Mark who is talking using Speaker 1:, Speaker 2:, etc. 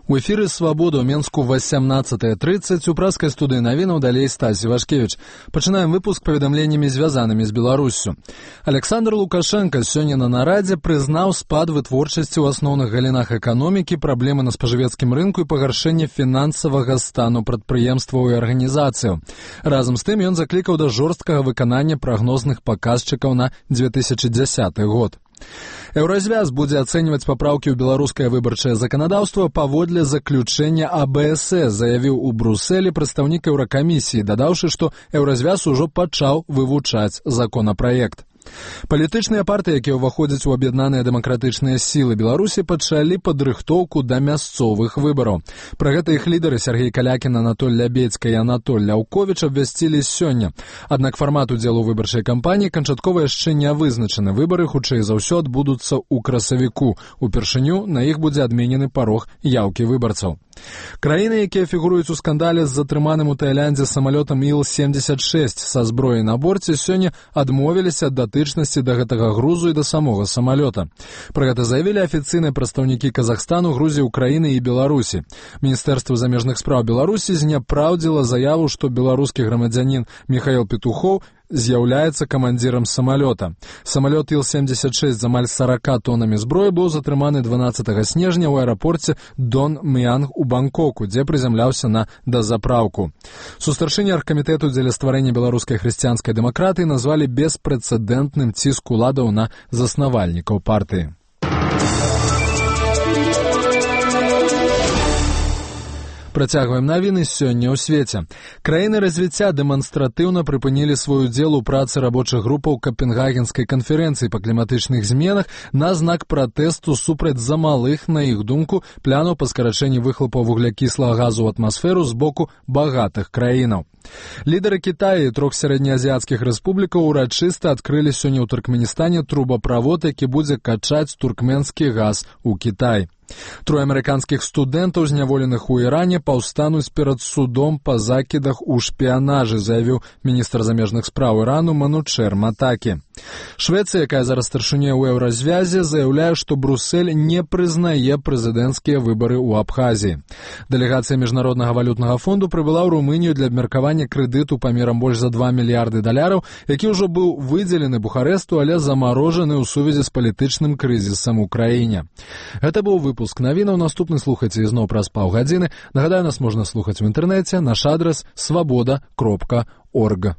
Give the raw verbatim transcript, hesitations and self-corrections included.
Speaker 1: У эфіры «Свабода» ў Менску восемнадцатая тридцать, у праскай студыі навінаў далей Стась Івашкевіч. Пачынаем выпуск паведамленнямі, звязанымі з Беларуссю. Александр Лукашенко сёння на нарадзе прызнаў спад вытворчасці ў асноўных галінах эканомікі, праблемы на спажывецкім рынку і пагаршэнне фінансавага стану прадпрыемстваў і арганізацыяў. Разам з тым ён заклікаў да жорсткага выканання прагнозных паказчыкаў на две тысячи дзесяты год. Еўразвяз будзе ацэньваць папраўкі ў беларускае выбарчае заканадаўства паводле заключэння А Б С С, заявіў у Брусэлі прадстаўнік Еўракамісіі, дадаўшы, што Еўразвяз ужо пачаў вывучаць законапраект. Палітычныя партыі, якія ўваходзяць у аб'яднаныя дэмакратычныя сілы Беларусі, пачалі падрыхтоўку да мясцовых выбараў. Пра гэта іх лідары Сергей Калякін, Анатоль Лябедзька і Анатоль Ляўковіч абвясцілі сёння. Аднак фармат удзелу ў выбарчай кампаніі канчаткова яшчэ не вызначаны. Выбары, хутчэй за ўсё, адбудуцца ў красавіку. Упершыню на іх будзе адменены парог яўкі выбарцаў. Краіны, якія фігуруюць у скандале з затрыманым у Таіландзе самалётам Іл семьдесят шесть са зброяй на борце, сёння адмовіліся ад датычнасці да гэтага грузу і да самога самалёта. Пра гэта заявілі афіцыйныя прадстаўнікі Казахстану, Грузіі, Украіны і Беларусі. Міністэрства замежных спраў Беларусі зняпраўдзіла заяву, што беларускі грамадзянін Михаил Петухоў з'яўляецца камандзірам самалёта. Самалёт Іл семьдесят шесть з амаль сорока тоннамі зброі быў затрыманы дванаццатага снежня ў аэрапорце Дон Мьянг у Бангкоку, дзе прызямляўся на дазапраўку. Сустарчынні аргкамітэту дзеля стварэння беларускай хрысціянскай дэмакратыі назвалі беспрэцэдэнтным ціск уладаў на заснавальнікаў партыі. Працягваем навіны сёння ў свеце. Краіны развіцця дэманстратыўна прыпынілі свой удзел у працы рабочых групаў Капенгагенскай канферэнцыі па кліматычных зменах на знак пратэсту супраць замалых, на іх думку, планаў па скарачэнні выхлопаў вуглякіслага газу ў атмасферу з боку багатых краінаў. Лідары Кітая і трох сярэднеазіяцкіх рэспублікаў урачыста адкрылі сёння ў Туркменістане трубаправод, які будзе качаць туркменскі газ у Кітай. Трое амерыканскіх студэнтаў, зняволеных у Іране, паўстануць перад судом па закідах у шпіянажы, заявіў міністр замежных спраў Ірану Манучер Матакі. Швецыя, якая зараз старшыня ў Еўразвязе, заяўляе, што Брусэль не прызнае прэзідэнцкія выбары ў Абхазіі. Дэлегацыя Міжнароднага валютнага фонду прыбыла ў Румынію для абмеркавання крэдыту памерам больш за два мільярды даляраў, які ўжо быў выдзелены Бухарэсту, але замарожаны ў сувязі з палітычным крызісам у краіне. Гэта быў выпуск навінаў. Наступны слухайце ізноў праз паўгадзіны. Нагадаю, нас можна слухаць у інтэрнэце. Наш адрас свабода кропка орг.